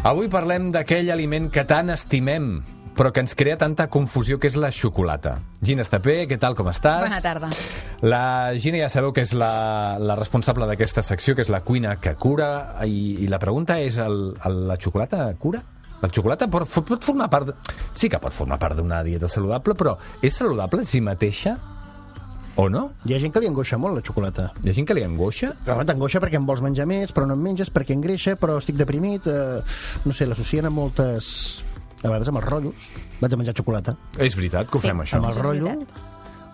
Avui parlem d'aquell aliment que tant estimem, però que ens crea tanta confusió, que és la xocolata. Gina Estapé, què tal, com estàs? Bona tarda. La Gina ja sabeu que és la responsable d'aquesta secció, que és la cuina que cura, i la pregunta és, la xocolata cura? La xocolata pot formar part... Sí que pot formar part d'una dieta saludable, però és saludable en si mateixa o no? Hi ha gent que li angoixa molt la xocolata. Hi ha gent que li angoixa? Però t'angoixa perquè en vols menjar més, però no en menges, perquè engreixa, però estic deprimit. No sé, l'associen a moltes... A vegades amb els rotllos. Vaig a menjar xocolata. És veritat que ho fem, això. Amb el rotllo.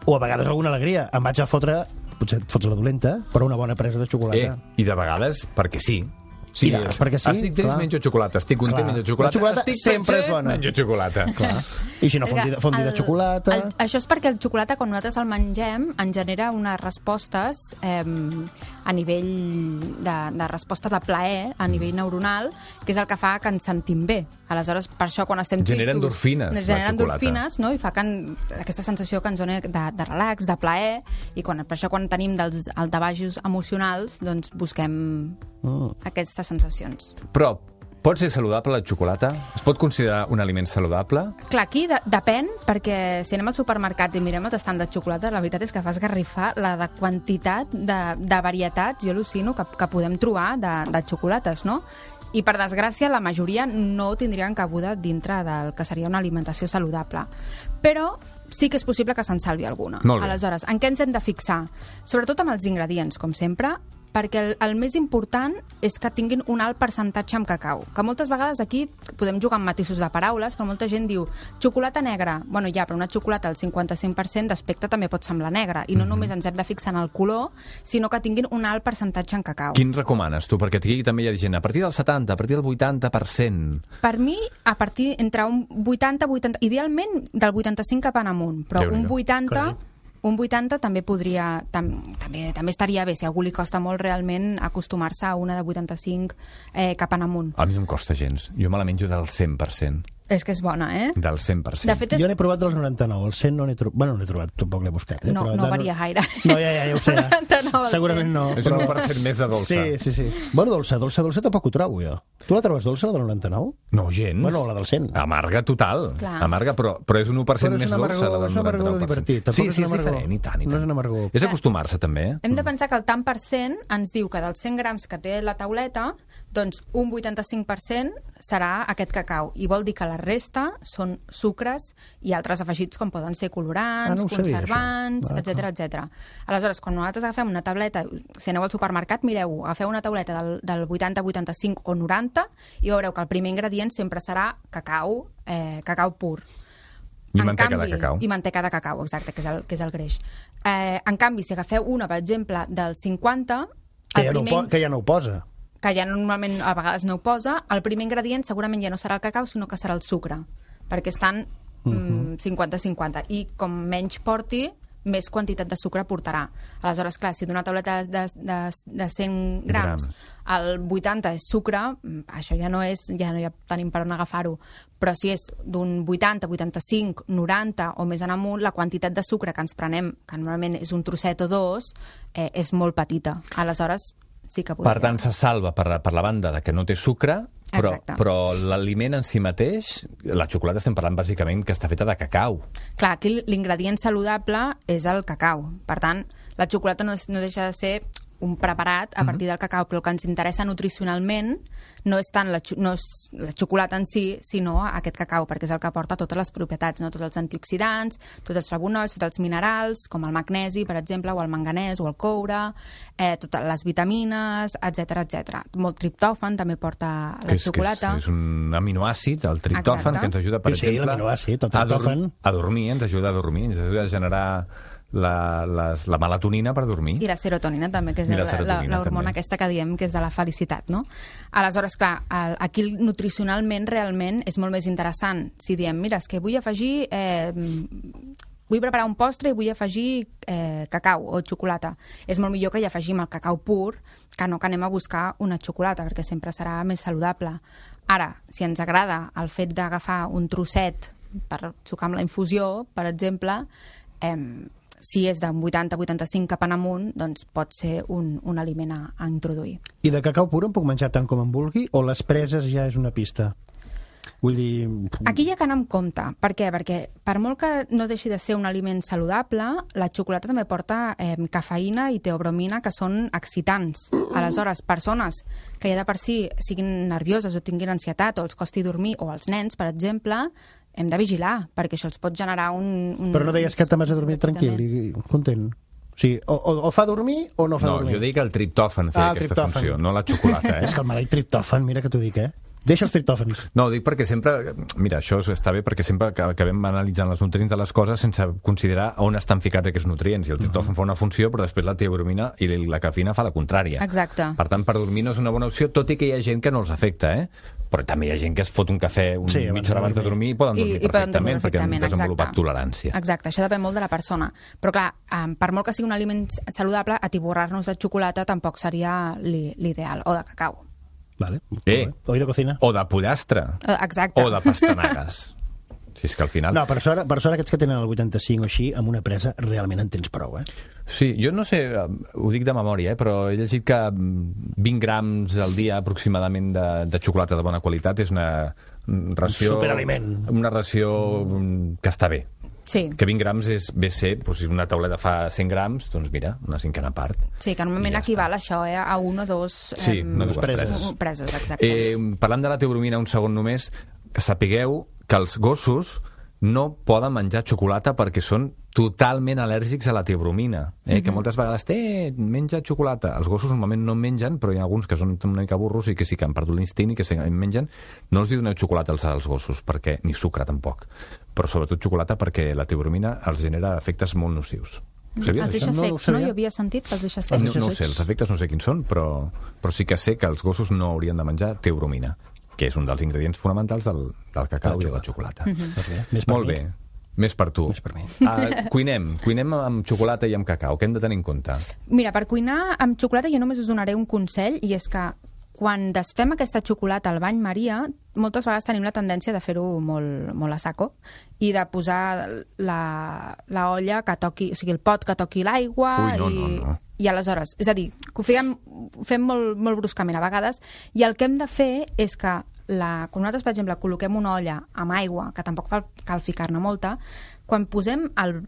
O a vegades alguna alegria. Em vaig a fotre, potser et fots la dolenta, però una bona presa de xocolata. I de vegades perquè sí. Sí, perquè sí, estic trist, menjo xocolata. Estic content, menjo xocolata. La xocolata estic sempre és bona. Menjo xocolata. Clar. I si no, fondi de xocolata... Això és perquè el xocolata, quan nosaltres el mengem, ens genera unes respostes a nivell de resposta de plaer, a nivell neuronal, que és el que fa que ens sentim bé. Aleshores, per això, quan estem tristos... Genera endorfines, la xocolata. Genera endorfines, no? I fa que aquesta sensació que ens dona de relax, de plaer, i per això, quan tenim dels altavajos emocionals, doncs busquem aquestes sensacions. Però pot ser saludable la xocolata? Es pot considerar un aliment saludable? Clar, aquí depèn, perquè si anem al supermercat i mirem els estants de xocolata, la veritat és que fa esgarrifar la de quantitat de varietats, jo al·lucino, que podem trobar de xocolates, no? I, per desgràcia, la majoria no tindrien cabuda dintre del que seria una alimentació saludable. Però sí que és possible que se'n salvi alguna. Aleshores, en què ens hem de fixar? Sobretot amb els ingredients, com sempre, perquè el més important és que tinguin un alt percentatge amb cacau. Que moltes vegades aquí podem jugar amb matisos de paraules, però molta gent diu xocolata negra. Bueno, ja, però una xocolata al 55% d'aspecte també pot semblar negra. I no només ens hem de fixar en el color, sinó que tinguin un alt percentatge en cacau. Quin recomanes tu? Perquè aquí també hi ha gent a partir del 70%, a partir del 80%. Per mi, a partir entre un 80, idealment del 85 cap en amunt, però un 80... Un 80 també podria... També estaria bé, si a algú li costa molt realment acostumar-se a una de 85 cap en amunt. A mi no em costa gens. Jo me la menjo del 100%. És que és bona, eh? Del 100%. De fet, jo n'he provat dels 99, el 100 no n'he trobat. Bueno, no n'he trobat, tampoc l'he buscat. No varia gaire. No, ja ho sé. Segurament no. És un 1% més de dolça. Sí. Bueno, dolça tampoc ho trobo, jo. Tu la trobes dolça, la del 99? No, gens. Bueno, la del 100. Amarga total. Clar. Amarga, però és un 1% més dolça, la del 99%. És un amargor divertit. Sí, és diferent, i tant. No és un amargor. És acostumar-se, també. Hem de pensar que el tant per cent ens diu que dels 100 grams que té la tauleta, doncs un 85% serà aquest cacau. I vol dir que la resta són sucres i altres afegits com poden ser colorants, conservants, etc. Aleshores, quan nosaltres agafem una tauleta, si aneu al supermercat, mireu, agafeu una tauleta del 80, 85 o 90 i veureu que el primer ingredient sempre serà cacau pur. I manteca de cacau. I manteca de cacau, exacte, que és el greix. En canvi, si agafeu una, per exemple, del 50... Que ja no ho posa. Que ja normalment a vegades no ho posa, el primer ingredient segurament ja no serà el cacau, sinó que serà el sucre, perquè estan 50-50. I com menys porti, més quantitat de sucre portarà. Aleshores, clar, si d'una tauleta de 100 grams el 80 és sucre, això ja no tenim per on agafar-ho. Però si és d'un 80, 85, 90 o més en amunt, la quantitat de sucre que ens prenem, que normalment és un trosset o dos, és molt petita. Aleshores, sí que podria. Per tant, se salva per la banda de que no té sucre, però l'aliment en si mateix, la xocolata estem parlant bàsicament que està feta de cacau. Clar, aquí l'ingredient saludable és el cacau. Per tant, la xocolata no deixa de ser un preparat a partir del cacau, però el que ens interessa nutricionalment no és tant la xocolata en si, sinó aquest cacau, perquè és el que aporta totes les propietats, no? Tots els antioxidants, tots els flavonoids, tots els minerals, com el magnesi, per exemple, o el manganès, o el coure, totes les vitamines, etc. Molt triptòfan també porta la xocolata. És un aminoàcid, el triptòfan, que ens ajuda, per exemple, a dormir, ens ajuda a generar la melatonina per dormir. I la serotonina també, que és l'hormona aquesta que diem que és de la felicitat, no? Aleshores, clar, aquí nutricionalment realment és molt més interessant si diem, mira, és que vull afegir... vull preparar un postre i vull afegir cacau o xocolata. És molt millor que hi afegim el cacau pur que no que anem a buscar una xocolata, perquè sempre serà més saludable. Ara, si ens agrada el fet d'agafar un trosset per sucar amb la infusió, per exemple, si és d'un 80-85 cap en amunt, doncs pot ser un aliment a introduir. I de cacau pur en puc menjar tant com em vulgui o les preses ja és una pista? Vull dir... Aquí hi ha que anar amb compte. Per què? Perquè per molt que no deixi de ser un aliment saludable, la xocolata també porta cafeïna i teobromina, que són excitants. Aleshores, persones que ja de per si siguin nervioses o tinguin ansietat o els costi dormir, o els nens, per exemple, hem de vigilar, perquè això els pot generar un... Però no deies que te'n vas a dormir tranquil i content? O sigui, o fa dormir o no fa dormir? No, jo dic que el triptòfan feia aquesta funció, no la xocolata, És que el maleït triptòfan, mira que t'ho dic, Deixa els triptòfans. No, ho dic perquè sempre... Mira, això està bé perquè sempre acabem analitzant els nutrients de les coses sense considerar on estan ficats aquests nutrients. I el triptòfan fa una funció, però després la teobromina i la cafeïna fa la contrària. Exacte. Per tant, per dormir no és una bona opció, tot i que hi ha gent que no els afecta, Però també hi ha gent que es fot un cafè mitja hora abans de dormir i poden dormir perfectament, perquè han desenvolupat tolerància. Exacte, això depèn molt de la persona. Però clar, per molt que sigui un aliment saludable, atiborrar-nos de xocolata tampoc seria l'ideal, o de cacau. Vale. O de cocina. O de pollastre. Exacte. O de pastanagues. Si és que al final... No, per sort aquests que tenen el 85 o així, amb una presa realment en tens prou, Sí, jo no sé, ho dic de memòria, però he llegit que 20 grams al dia aproximadament de xocolata de bona qualitat és una ració... Superaliment. Una ració que està bé. Sí. Que 20 grams ve a ser, doncs, si una tauleta fa 100 grams, doncs mira, una cinquena part. Sí, que normalment equival això a una o dos... Sí, una o dues preses, exacte. Parlant de la teobromina un segon només, sapigueu que els gossos no poden menjar xocolata perquè són totalment al·lèrgics a la teobromina, que moltes vegades menja xocolata. Els gossos normalment no mengen, però hi ha alguns que són una mica burros i que sí que han perdut l'instint i que mengen. No els doneu xocolata als gossos, perquè ni sucre tampoc, però sobretot xocolata perquè la teobromina els genera efectes molt nocius. Els deixa secs, no? Jo havia sentit que els deixa secs. No ho sé, els efectes no sé quins són, però sí que sé que els gossos no haurien de menjar teobromina, que és un dels ingredients fonamentals del cacau i de la xocolata. Molt bé. Més per tu. Més per mi. Cuinem amb xocolata i amb cacau. Què hem de tenir en compte? Mira, per cuinar amb xocolata jo només us donaré un consell, i és que quan desfem aquesta xocolata al bany Maria, moltes vegades tenim la tendència de fer-ho molt a saco i de posar la olla que toqui, o sigui, el pot que toqui l'aigua. No. I aleshores, és a dir, que ho fem molt bruscament a vegades, i el que hem de fer és que quan nosaltres, per exemple, col·loquem una olla amb aigua, que tampoc cal ficar-ne molta, quan posem el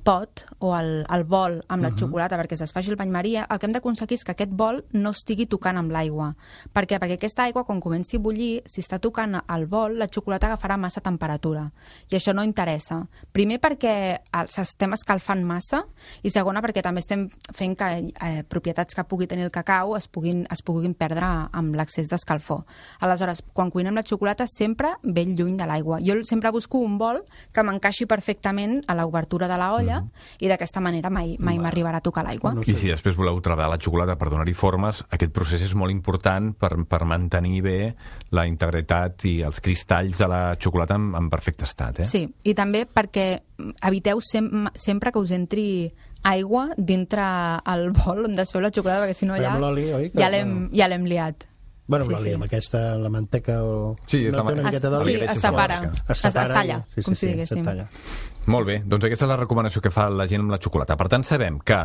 pot o el bol amb la xocolata perquè es desfaci el bany Maria, el que hem d'aconseguir és que aquest bol no estigui tocant amb l'aigua. Per què? Perquè aquesta aigua, quan comenci a bullir, si està tocant el bol, la xocolata agafarà massa temperatura. I això no interessa. Primer perquè estem escalfant massa, i segona perquè també estem fent que propietats que pugui tenir el cacau es puguin perdre amb l'excés d'escalfor. Aleshores, quan cuinem la xocolata, sempre ben lluny de l'aigua. Jo sempre busco un bol que m'encaixi perfectament a l'obertura de la olla, i d'aquesta manera mai m'arribarà a tocar l'aigua. I si després voleu treballar la xocolata per donar-hi formes, aquest procés és molt important per mantenir bé la integritat i els cristalls de la xocolata en perfecte estat. Sí, i també perquè eviteu sempre que us entri aigua dintre el bol on desfeu la xocolata, perquè si no ja l'hem liat. Bueno, l'oli amb aquesta, la manteca o... Sí, no té una miqueta d'oli? Sí, es separa. Es talla, com si diguéssim. Molt bé, doncs aquesta és la recomanació que fa la gent amb la xocolata. Per tant, sabem que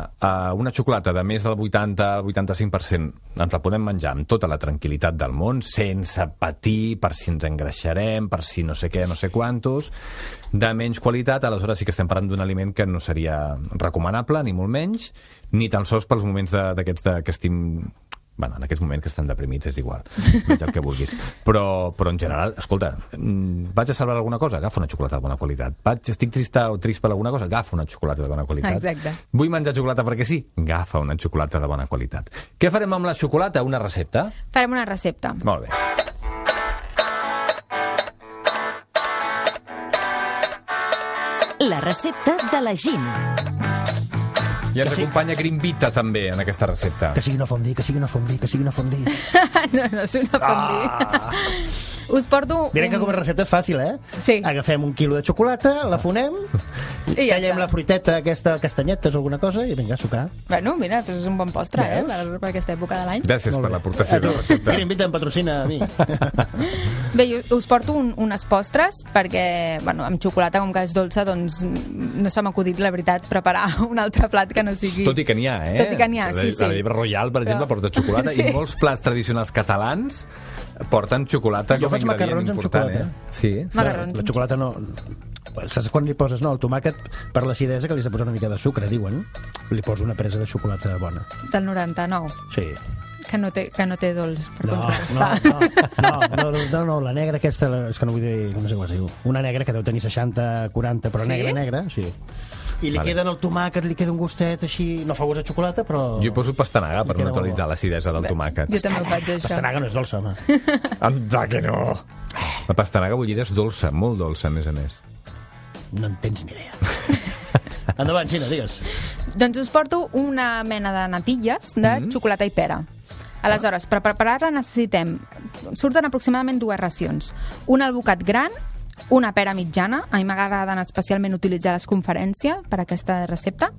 una xocolata de més del 80-85% ens la podem menjar amb tota la tranquil·litat del món, sense patir per si ens engreixarem, per si no sé què, no sé quantos, de menys qualitat. Aleshores sí que estem parlant d'un aliment que no seria recomanable, ni molt menys, ni tan sols pels moments d'aquests que estim... Bueno, en aquests moments que estan deprimits és igual, menja el que vulguis. Però en general, escolta, vaig a salvar alguna cosa? Agafa una xocolata de bona qualitat. Estic trist per alguna cosa? Agafa una xocolata de bona qualitat. Exacte. Vull menjar xocolata perquè sí? Agafa una xocolata de bona qualitat. Què farem amb la xocolata? Una recepta? Farem una recepta. Molt bé. La recepta de la Gina. I ens acompanya Grimbita també en aquesta recepta. Que sigui una fondue, que sigui una fondue, que sigui una fondue. No és una fondue. Us porto... Miren que com a recepta és fàcil, Sí. Agafem 1 quilo de xocolata, la fonem, I ja tallem està. la fruiteta, aquesta, castanyetes o alguna cosa, i vinga, a sucar. Bueno, mira, doncs és un bon postre, per aquesta època de l'any. Gràcies per l'aportació de la recepta. Mira, invita, em patrocina a mi. Bé, jo us porto unes postres perquè, bueno, amb xocolata, com que és dolça, doncs no s'ha m'acudit, la veritat, preparar un altre plat que no sigui... Tot i que n'hi ha, Tot i que n'hi ha, sí, sí. La Llebre Royal, per exemple, porta xocolata, i molts plats tradicionals catalans porten xocolata Jo com a faig ingredient macarrons amb important. xocolata. Sí. Macarrons. La xocolata no... Saps quan li poses, no, el tomàquet, per l'acidesa, que li has de posar una mica de sucre, diuen, li poso una presa de xocolata bona. Del 99, Sí. que no té dolç per No, contrastar. no, la negra aquesta, és que no vull dir, no sé com es diu, una negra que deu tenir 60, 40, però Sí? negra, sí. I li queda en el tomàquet, li queda un gustet així, no fa gust de xocolata, però... Jo hi poso pastanaga per Queda neutralitzar l'acidesa del tomàquet. Jo també ho faig, això. Pastanaga no és dolça, home. Anda que no! La pastanaga bullida és dolça, molt dolça, a més a més. No en tens ni idea. Endavant, Xina, digues. Doncs us porto una mena de natilles de xocolata i pera. Aleshores, per preparar-la necessitem... Surten aproximadament 2 racions. Un albocat gran, una pera mitjana, a mi m'agraden especialment utilitzar les conferències per a aquesta recepta,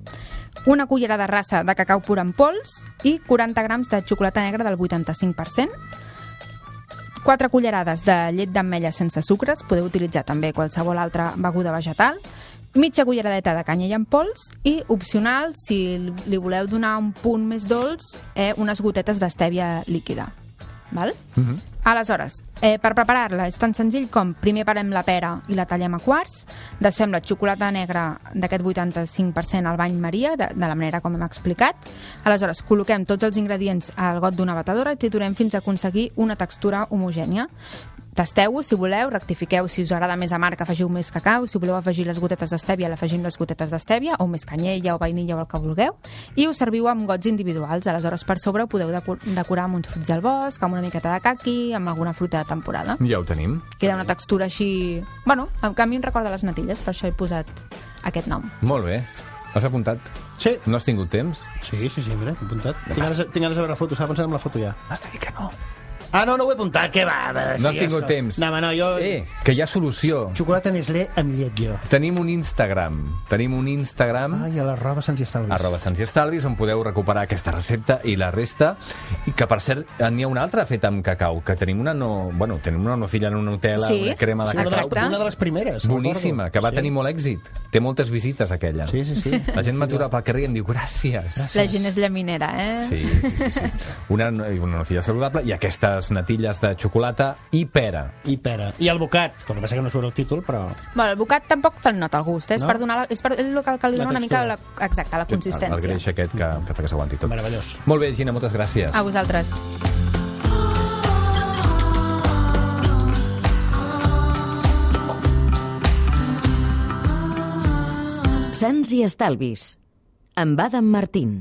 una cullerada rasa de cacau pur en pols i 40 grams de xocolata negra del 85%, 4 cullerades de llet d'ametlla sense sucres, podeu utilitzar també qualsevol altra beguda vegetal, mitja culleradeta de canyella en pols i, opcional, si li voleu donar un punt més dolç, unes gotetes d'estèvia líquida. Val? Aleshores, per preparar-la és tan senzill com primer parem la pera i la tallem a quarts, desfem la xocolata negra d'aquest 85% al bany Maria, de la manera com hem explicat. Aleshores, col·loquem tots els ingredients al got d'una batedora i triturem fins a aconseguir una textura homogènia. Tasteu-ho, si voleu, rectifiqueu si us agrada més amarg, afegiu més cacau, si voleu afegir les gotetes d'estèvia, l'afegim les gotetes d'estèvia, o més canyella o vainilla o el que vulgueu, i ho serviu amb gots individuals. Aleshores, per sobre ho podeu decorar amb uns fruits del bosc, amb una miqueta de caqui, amb alguna fruita de temporada. Ja ho tenim. Queda una textura així... Bueno, a mi em recorda les natilles, per això he posat aquest nom. Molt bé. Has apuntat? Sí. No has tingut temps? Sí, mira, he apuntat. Tinc ganes de veure la foto, estava pensant en la foto ja. Has de dir que no. Ah, no ho he apuntat, què va? No has tingut temps. No, jo... Que hi ha solució. Xocolata Nestlé amb llet, jo. Tenim un Instagram. Ai, a l'arroba Sants i Estalvis. @SantsIestalvis, on podeu recuperar aquesta recepta i la resta. I que, per cert, n'hi ha una altra feta amb cacau, que tenim una nocilla en una Nutella, Sí, una crema de Sí, cacau. una de les primeres. Boníssima, que va tenir molt èxit. Té moltes visites, aquella. Sí. La gent m'atura pel carrer i em diu gràcies. La gent és llaminera, Sí. Una nocilla saludable i aquestes natilles de xocolata i pera. I pera. I el bocat, que passa que no surt el títol, però... Bueno, el bocat tampoc te'l nota el gust, és No? per donar és el que li dona una mica la consistència. El greix aquest que fa que s'aguanti tot. Meravellós. Molt bé, Gina, moltes gràcies. A vosaltres. Sants i Estalvis, amb Adam Martín.